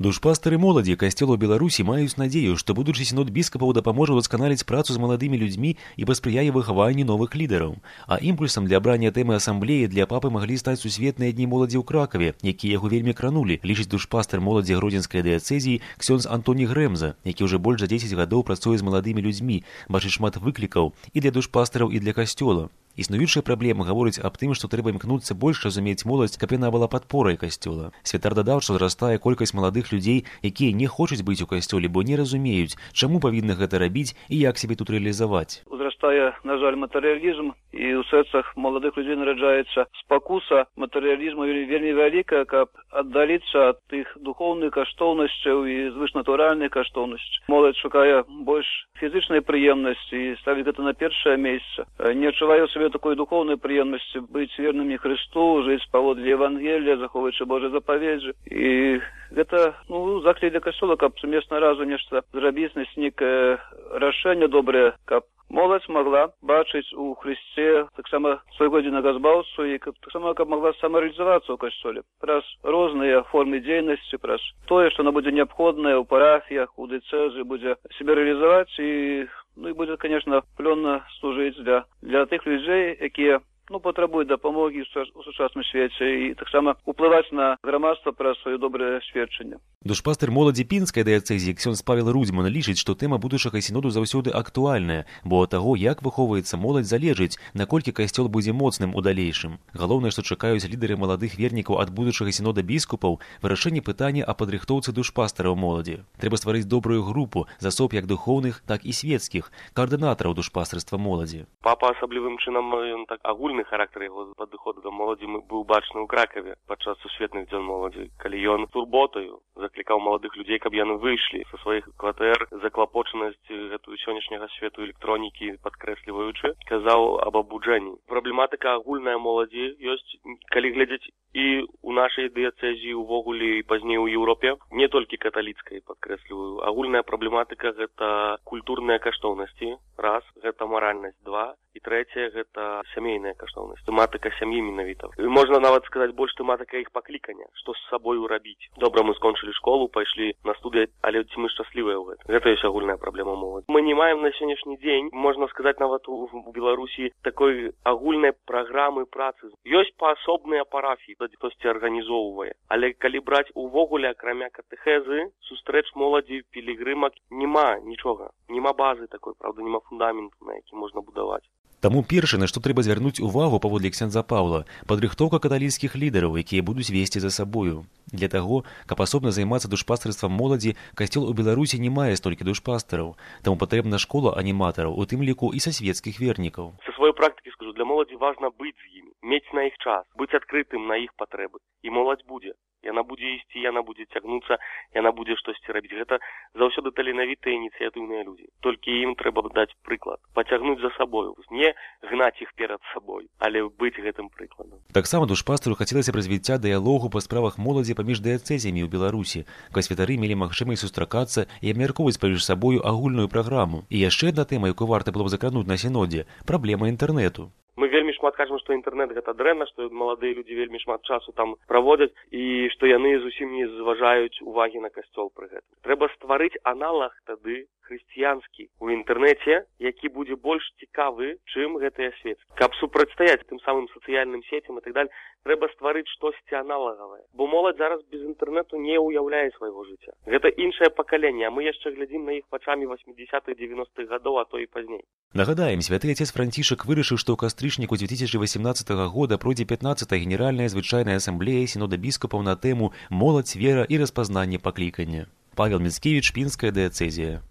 Душпастары моладзі касцёла ў Беларусі маюць надзею, што будучы сінод біскапаў дапаможа ўдасканаліць працу з маладымі людзьмі і паспрыяе выхаванню новых лідараў. А імпульсам для абрання тэмы асамблеі для папы маглі стаць сусветныя дні моладзі ў Кракаве, якія яго вельмі кранулі, лічыць душпастар моладзі гродзенскай дыяцэзіі ксёндз Антоні Грэмза, які ўжо больш за 10 гадоў працуе з маладымі людзьмі, бачыць шмат выклікаў і для душпастараў, і для касцёла. Існуючая праблема гаворыць аб тым, што трэба імкнуцца больш разумець моладзь, каб яна была падпорай касцёла. Святар дадаў, што зрастае колькасць маладых людзей, якія не хочуць быць у касцёле, бо не разумеюць, чаму павінны гэта рабіць і як сябе тут рэалізаваць. Узрастае, на жаль, матэрыялізм, і ў сэрцах маладых людзей нараджаецца спакуса матэрыялізму вельмі вялікая, каб аддаліцца ад тых духоўных каштоўнасцяў і звышнатуральных каштоўнасцей. Моладзь шукае больш фізычнай прыемнасці і ставіць гэта на першае месца. Не адчувае сабе такой духоўнай прыемнасці быць вернымі Христу, жыць паводле Евангелія, захоўваючы Божыя запаведзі. І гэта заклік для касцёла, каб сумесна разам нешта зрабіць, знайсці некае рашэнне добрае, каб моладзь могла бачыць у Христе таксама свайго адзінага збаўцу і таксама каб могла самарэалізавацца ў касцёле праз розныя формы дзейнасці, праз тое, што она будзе неабходнае ў парафіях, у дыцэзы, будзе сябе рэалізаваць і будзе, конечно, плённа служыць для тых людзей, якія патрабуюць дапамогі ў сучасным свеце і таксама уплываць на грамадства праз сваё добрае сведчанне. Душпастар моладзі пінскай дыяцэзіі ксёндз Павел Рудзьман лічыць, што тэма будучага сіноду заўсёды актуальная, бо ад таго, як выхоўваецца моладзь, залежыць, наколькі касцёл будзе моцным у далейшым. Галоўнае, што чакаюць лідары маладых вернікаў ад будучага сінода біскупаў, вырашэнне пытання аб падрыхтоўцы душпастараў моладзі. Трэба стварыць добрую групу з асоб як духоўных, так і свецкіх, каардынатараў душпастарства моладзі. Папа асаблівым чынам ён так агульны характар яго падыходу да моладзі быў бачны ў Кракаве падчас сусветных дзён моладзі, калі ён турботаю заклікаў маладых людзей, каб яны выйшлі са сваіх кватэр, заклапочанасць гэтую сённяшняга свету электронікі падкрэсліваючы, казаў аб абуджэнні. Праблематыка агульная моладзі ёсць, калі глядзець і ў нашай дыяцэзіі увогуле і пазней у Еўропе, не толькі каталіцкай, падкрэсліваю. Агульная праблематыка гэта культурныя каштоўнасці, раз, гэта маральнасць, два, і трэцяе гэта сямейная каштоўнасць, тэматыка сям'і менавіта. Можна нават сказаць больш тэматыка іх паклікання, што з сабою рабіць. Добра, мы скончылі школу, пайшлі на студыю, але ці мы шчаслівыя ў гэтым? Гэта ёсць агульная праблема моладзі. Мы не маем на сённяшні дзень, можна сказаць нават у Беларусі, такой агульнай праграмы працы. Ёсць паасобныя парафіі, хтосьці арганізоўвае. Але калі браць увогуле, акрамя катэхезы, сустрэч моладзі, пілігрымак, няма нічога. Няма базы такой, правда, няма фундаменту, на які можна будаваць. Таму першае, на што трэба звярнуць увагу паводле ксяндза Паўла, падрыхтоўка каталіцкіх лідараў, якія будуць весці за сабою. Для таго, каб асобна займацца душпастарствам моладзі, касцёл у Беларусі не мае столькі душпастараў. Таму патрэбна школа аніматараў, у тым ліку і са свецкіх вернікаў. Са сваёй практыкі скажу, для моладзі важна быць з імі, мець на іх час, быць адкрытым на іх патрэбы. І моладзь будзе. Яна будзе ісці, яна будзе цягнуцца, яна будзе штосьці рабіць. Гэта заўсёды таленавітыя ініцыятыўныя людзі. Толькі ім трэба даць прыклад, пацягнуць за сабою, не гнаць іх перад сабой, але быць гэтым прыкладам. Таксама душпастару хацелася б развіцця дыялогу па справах моладзі паміж дыяцэзіямі ў Беларусі, каб святары мелі магчымасць сустракацца і абмяркоўваць паміж сабою агульную праграму. І яшчэ адна тэма, якую варта было б закрануць на сінодзе – праблема інтэрнэту. Мы вельмі шмат кажам, што інтэрнэт гэта дрэнна, што маладыя людзі вельмі шмат часу там праводзяць і што яны зусім не зважаюць увагі на касцёл пры гэтым. Трэба стварыць аналаг тады хрысціянскі ў інтэрнэце, які будзе больш цікавы, чым гэтыя свецкі. Каб супрацьстаяць тым самым сацыяльным сецям і так далее, трэба стварыць штосьці аналагавае. Бо моладзь зараз без інтэрнэту не ўяўляе свайго жыцця. Гэта іншае пакаленне, а мы яшчэ глядзім на іх вачамі 80-х, 90-х гадоў, а то і пазней. Нагадаем, святы отец Францішак вырашыў, што ў кастрычніку 2018 года пройдзе 15-я генеральная звычайная асамблея сінода біскупаў на тэму «Моладзь, вера і распазнанне паклікання». Павел Міцкевіч, Пінская дыяцэзія.